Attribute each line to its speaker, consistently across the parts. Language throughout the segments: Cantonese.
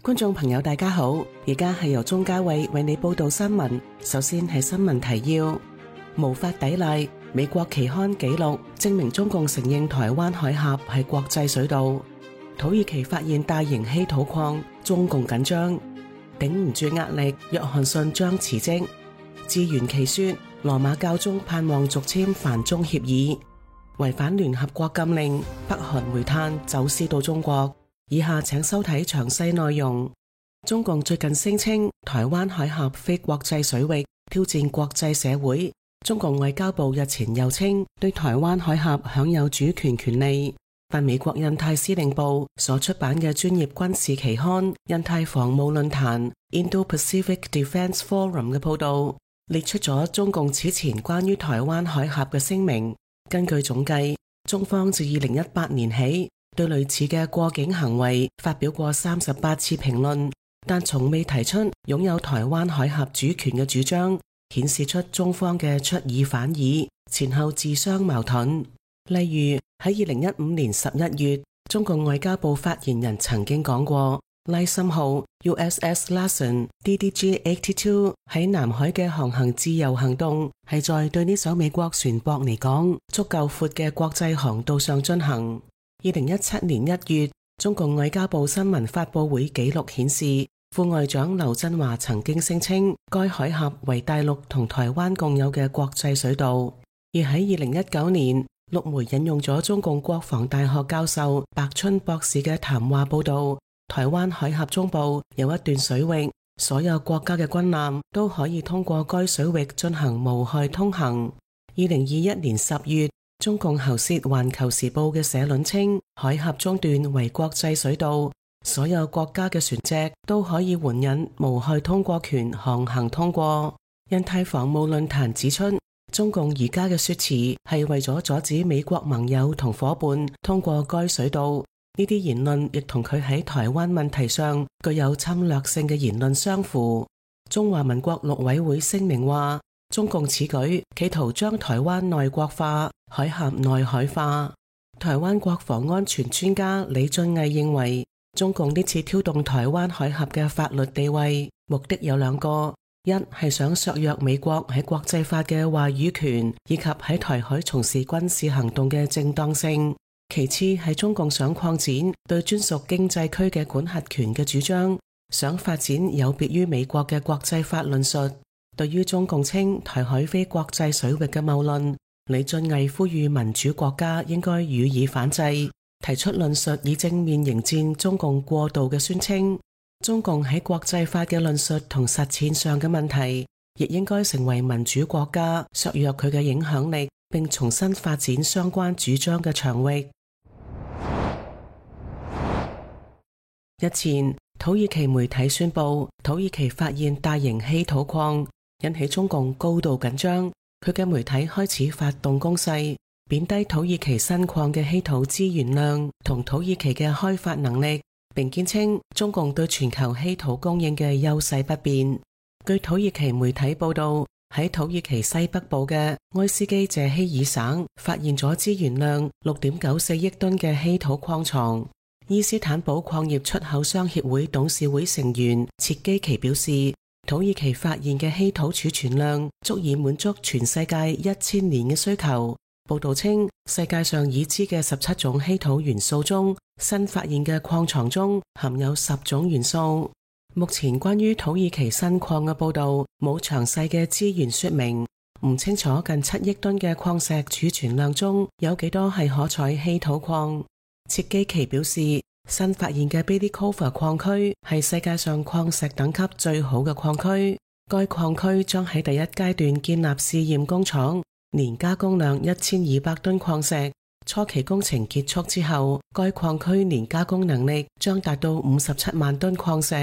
Speaker 1: 觀眾朋友大家好，而家係由鍾嘉慧為你報道新聞。首先係新聞提要：無法抵賴，美國期刊紀錄證明中共承認台灣海峽係國際水道。土耳其發現大型稀土礦，中共緊張，頂唔住壓力，約翰遜將辭職。自圓其說，羅馬教宗盼望續簽梵中協議。違反聯合國禁令，北韓煤炭走私到中國。以下請收睇詳細內容。中共最近聲稱台灣海峽非國際水域，挑戰國際社會。中共外交部日前又稱對台灣海峽享有主權權利。但美國印太司令部所出版嘅專業軍事期刊《印太防務論壇》（Indo-Pacific Defense Forum） 嘅報道，列出咗中共此前關於台灣海峽嘅聲明。根據總計，中方自2018年起對類似嘅過境行為發表過38次評論，但從未提出擁有台灣海峽主權嘅主張，顯示出中方嘅出爾反爾，前後自相矛盾。例如喺2015年11月，中共外交部發言人曾經講過，拉森號 USS Lassen DDG-82 喺南海嘅航行自由行動係在對呢艘美國船舶嚟講足夠闊嘅國際航道上進行。2017年1月，中共外交部新聞發佈會記錄顯示，副外長劉振華曾經聲稱該海峽為大陸同台灣共有嘅國際水道。而喺2019年，陸媒引用咗中共國防大學教授白春博士嘅談話報道，台灣海峽中部有一段水域，所有國家嘅軍艦都可以通過該水域進行無害通行。2021年10月，中共喉舌《環球時報》嘅社論稱，海峽中段為國際水道，所有國家嘅船隻都可以援引無害通過權航行通過。印太防務論壇指出，中共而家嘅說辭係為咗阻止美國盟友同夥伴通過該水道，呢啲言論亦同佢喺台灣問題上具有侵略性嘅言論相符。中華民國陸委會聲明話，中共此舉企圖將台灣內國化、海峽內海化。台灣國防安全專家李俊毅認為，中共呢次挑動台灣海峽嘅法律地位，目的有兩個：一係想削弱美國喺國際法嘅話語權，以及喺台海從事軍事行動嘅正當性；其次係中共想擴展對專屬經濟區嘅管轄權嘅主張，想發展有別於美國嘅國際法論述。對於中共稱台海非國際水域嘅謬論，李俊毅呼籲民主國家應該予以反制，提出論述以正面迎戰中共過度嘅宣稱。中共喺國際法嘅論述同實踐上嘅問題，亦應該成為民主國家削弱佢嘅影響力，並重新發展相關主張嘅場域。日前，土耳其媒體宣布，土耳其發現大型稀土礦，引起中共高度緊張。佢嘅媒體開始發動攻勢，貶低土耳其新礦嘅稀土資源量同土耳其嘅開發能力，並堅稱中共對全球稀土供應嘅優勢不變。據土耳其媒體報道，喺土耳其西北部嘅埃斯基謝希爾省發現咗資源量6.94億噸嘅稀土礦床。伊斯坦堡礦業出口商協會董事會成員切基奇表示，土耳其發現嘅稀土儲存量足以滿足全世界1000年嘅需求。報道稱，世界上已知嘅17種稀土元素中，新發現嘅礦床中含有10種元素。目前關於土耳其新礦嘅報道冇詳細嘅資源說明，唔清楚近7億噸嘅礦石儲存量中有幾多係可採稀土礦。切基奇表示，新發現嘅 Bidikova 礦區係世界上礦石等級最好嘅礦區。該礦區將喺第一階段建立試驗工廠，年加工量1200噸礦石。初期工程結束之後，該礦區年加工能力將達到57萬噸礦石。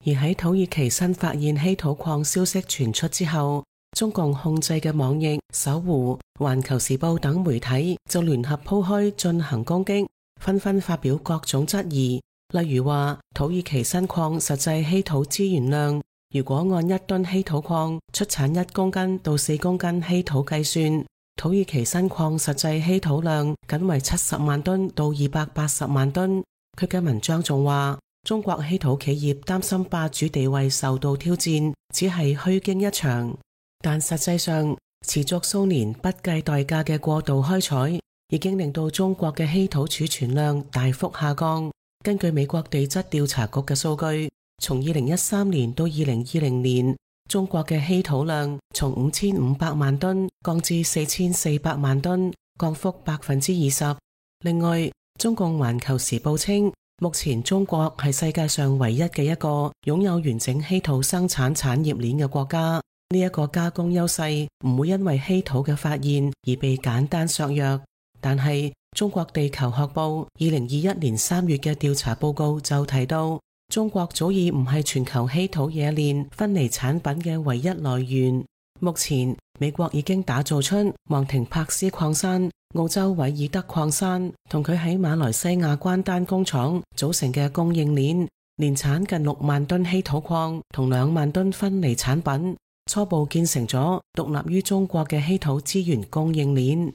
Speaker 1: 而喺土耳其新發現稀土礦消息傳出之後，中共控制嘅網易、搜狐、環球時報等媒體就聯合鋪開進行攻擊，紛紛發表各種質疑。例如話，土耳其新礦實際稀土資源量，如果按1噸稀土礦出產1公斤到4公斤稀土計算，土耳其新礦實際稀土量僅為70萬噸到280萬噸。佢嘅文章仲話，中國稀土企業擔心霸主地位受到挑戰，只係虛驚一場。但實際上，持續數年不計代價嘅過度開採，已經令到中國嘅稀土儲存量大幅下降。根據美國地質調查局嘅數據，從2013年到2020年，中國嘅稀土量從5500萬噸降至4400萬噸，降幅20%。另外，中共環球時報稱，目前中國係世界上唯一嘅一個擁有完整稀土生產產業鏈嘅國家。呢一個加工優勢唔會因為稀土嘅發現而被簡單削弱。但係中國地球學報2021年3月嘅調查報告就提到，中國早已唔係全球稀土冶煉分離產品嘅唯一來源。目前美國已經打造出昂廷柏斯礦山、澳洲韋爾德礦山同佢喺馬來西亞關丹工廠組成嘅供應鏈，年產近6萬噸稀土礦同2萬噸分離產品，初步建成咗獨立於中國嘅稀土資源供應鏈。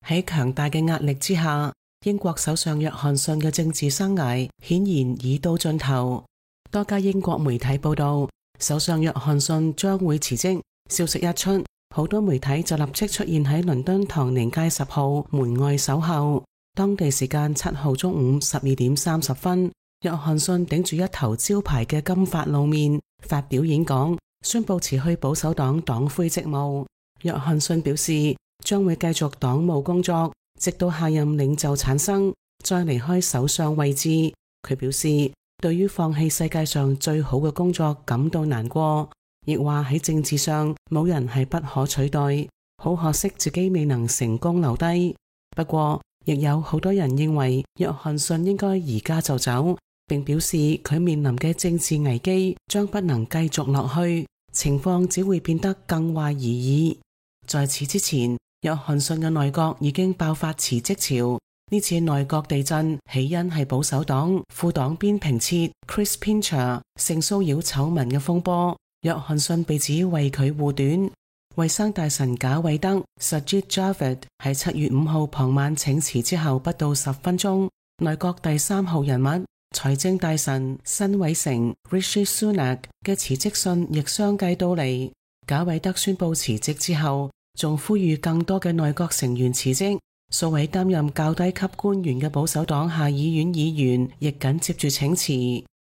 Speaker 1: 喺強大嘅壓力之下，英國首相約翰遜嘅政治生涯顯然已到盡頭。多家英國媒體報道，首相約翰遜將會辭職。消息一出，好多媒體就立即出現喺倫敦唐寧街10號門外守候。當地時間7號中午12點30分，約翰遜頂住一頭招牌嘅金髮露面，發表演講，宣布辭去保守黨黨魁職務。約翰遜表示，將會繼續黨務工作，直到下任領袖產生，再離開首相位置。佢表示，對於放棄世界上最好嘅工作感到難過，亦話喺政治上冇人係不可取代，好可惜自己未能成功留低。不過，亦有好多人認為約翰遜應該而家就走，並表示佢面臨嘅政治危機將不能繼續落去，情況只會變得更壞而已。在此之前，約翰遜嘅內閣已經爆發辭職潮。呢次內閣地震起因係保守黨副黨鞭平徹 Chris Pincher 性騷擾醜聞嘅風波，約翰遜被指為佢護短。衛生大臣賈偉德 Sajid Javid 喺7月5號傍晚請辭之後不到10分鐘，內閣第3號人物財政大臣辛偉誠 Rishi Sunak 嘅辭職信亦相繼到嚟。賈偉德宣布辭職之後，仲呼籲更多嘅內閣成員辭職。數位擔任較低級官員嘅保守黨下議院議員亦緊接住請辭。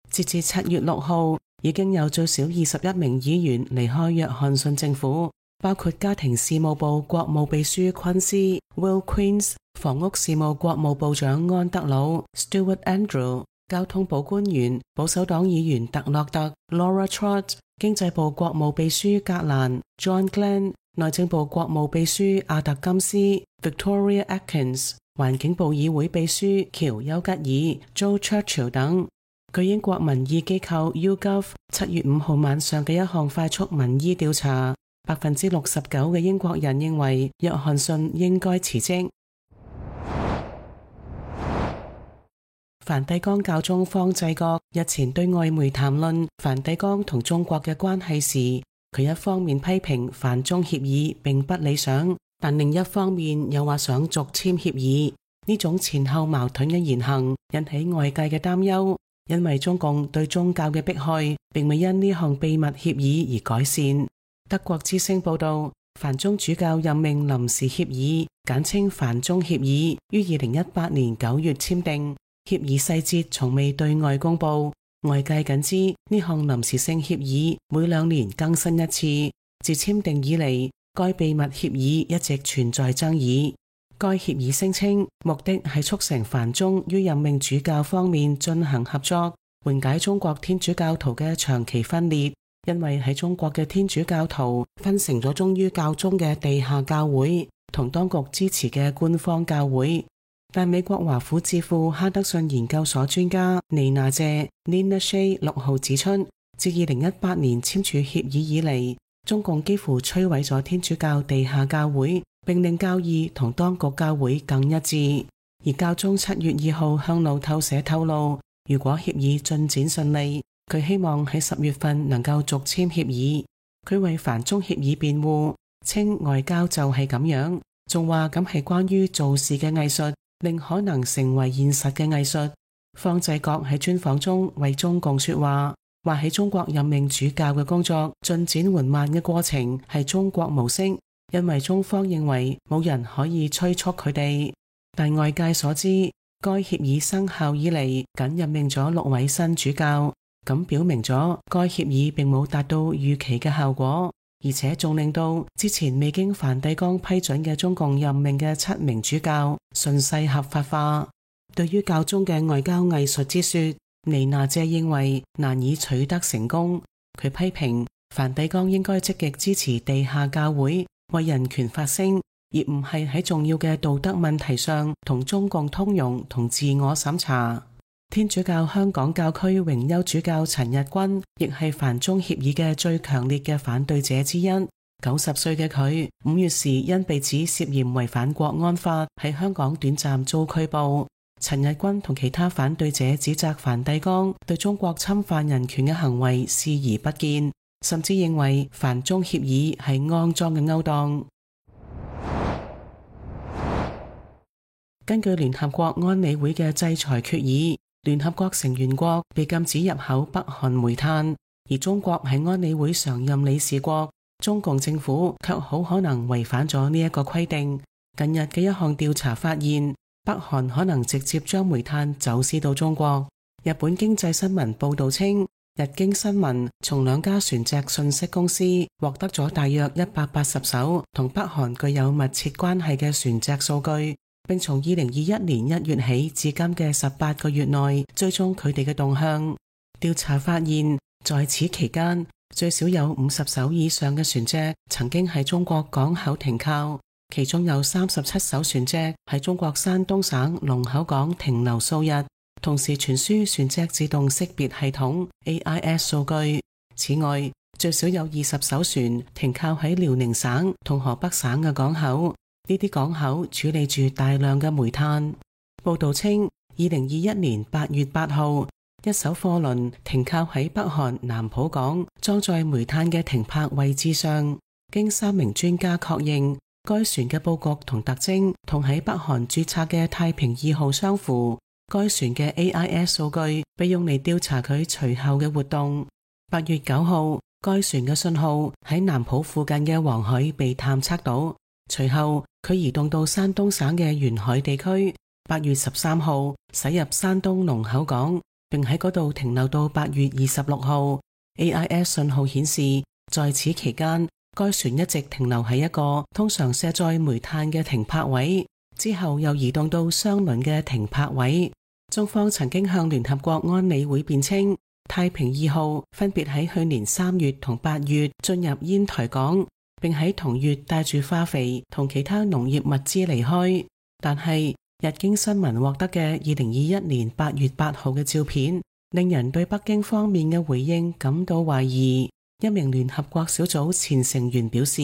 Speaker 1: 截至7月6號，已經有最少21名議員離開約翰遜政府，包括家庭事務部國務秘書昆斯 Will Queen's、房屋事務國務部長安德魯 Stuart Andrew、交通部官員保守黨議員特洛特 Laura Trott、經濟部國務秘書格蘭 John Glenn、內政部國務秘書阿特金斯 Victoria Atkins、環境部議會秘書喬丘吉爾 Joe Churchill 等。據英國民意機構 YouGov 7月5號晚上嘅一項快速民意調查，69%嘅英國人認為約翰遜應該辭職。梵蒂岡教宗方濟各日前對外媒談論梵蒂岡同中國嘅關係時，佢一方面批評梵中協議並不理想，但另一方面又話想續簽協議。呢種前後矛盾嘅言行引起外界嘅擔憂，因為中共對宗教嘅迫害並未因呢項秘密協議而改善。德國之聲報道，梵中主教任命臨時協議，簡稱梵中協議，於2018年9月簽訂。協議細節從未對外公布，外界僅知呢項臨時性協議每2年更新一次。自簽訂以嚟，該秘密協議一直存在爭議。該協議聲稱目的係促成梵中於任命主教方面進行合作，緩解中國天主教徒嘅長期分裂。因為喺中國嘅天主教徒分成咗忠於教宗嘅地下教會同當局支持嘅官方教會。但美國華府智庫哈德遜研究所專家尼娜謝 Nina Shea 6號指出，自2018年簽署協議以嚟，中共幾乎摧毀咗天主教地下教會，並令教義同當局教會更一致。而教宗7月2號向路透社透露，如果協議進展順利，佢希望喺10月份能夠續簽協議。佢為梵中協議辯護，稱外交就係咁樣，仲話咁係關於做事嘅藝術，令可能成為現實嘅藝術。方濟各喺專訪中為中共說話，話喺中國任命主教嘅工作進展緩慢嘅過程係中國模式，因為中方認為冇人可以催促佢哋。但外界所知，該協議生效以嚟僅任命咗6位新主教，咁表明咗該協議並冇達到預期嘅效果，而且仲令到之前未經梵蒂岡批准嘅中共任命嘅7名主教順勢合法化。對於教宗嘅外交藝術之說，尼娜謝認為難以取得成功。佢批評梵蒂岡應該積極支持地下教會為人權發聲，而唔係喺重要嘅道德問題上同中共通融同自我審查。天主教香港教區榮休主教陳日君亦係梵中協議嘅最強烈嘅反對者之一。90歲嘅佢5月時因被指涉嫌違反國安法喺香港短暫遭拘捕。陳日君同其他反對者指責梵蒂岡對中國侵犯人權嘅行為視而不見，甚至認為梵中協議係骯髒嘅勾當。根據聯合國安理會嘅制裁決議，聯合國成員國被禁止入口北韓煤炭，而中國係安理會常任理事國，中共政府卻好可能違反咗呢一個規定。近日嘅一項調查發現，北韓可能直接將煤炭走私到中國。日本經濟新聞報道稱，日經新聞從2家船隻信息公司獲得咗大約180艘同北韓具有密切關係嘅船隻數據，並從2021年1月起至今嘅18個月內追蹤佢哋嘅動向。調查發現，在此期間最少有50艘以上嘅船隻曾經喺中國港口停靠，其中有37艘船隻喺中國山東省龍口港停留數日，同時傳輸船隻自動識別系統 AIS 數據。此外，最少有20艘船停靠喺遼寧省同河北省嘅港口，呢啲港口處理住大量嘅煤炭。報道稱，2021年8月8號，一艘貨輪停靠喺北韓南浦港裝載煤炭嘅停泊位置上，經3名專家確認，該船嘅佈局同特徵同喺北韓註冊嘅太平2號相符。該船嘅 AIS 數據被用嚟調查佢隨後嘅活動。8月9號，該船嘅信號喺南浦附近嘅黃海被探測到，隨後佢移動到山東省嘅沿海地區。8月13號，駛入山東龍口港，並喺嗰度停留到8月26號。AIS 信號顯示，在此期間，該船一直停留喺一個通常卸載煤炭嘅停泊位，之後又移動到相鄰嘅停泊位。中方曾經向聯合國安理會辯稱，太平2號分別喺去年3月同8月進入煙台港，並喺同月帶住化肥同其他農業物資離開。但係日經新聞獲得嘅2021年8月8號嘅照片，令人對北京方面嘅回應感到懷疑。一名聯合國小組前成員表示，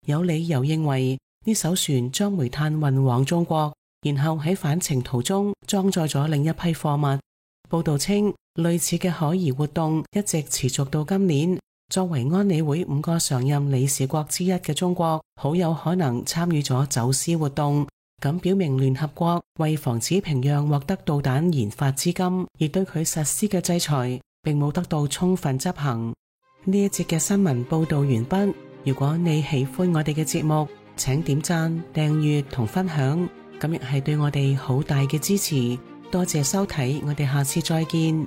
Speaker 1: 有理由認為呢艘船將煤炭運往中國，然後喺返程途中裝載咗另一批貨物。報道稱，類似嘅可疑活動一直持續到今年。作為安理會5個常任理事國之一嘅中國，好有可能參與咗走私活動。咁表明聯合國為防止平壤獲得導彈研發資金而對佢實施嘅制裁，並冇得到充分執行。呢一節嘅新聞報道完畢。如果你喜歡我哋嘅節目，請點讚、訂閱同分享，咁亦係對我哋好大嘅支持。多謝收睇，我哋下次再見。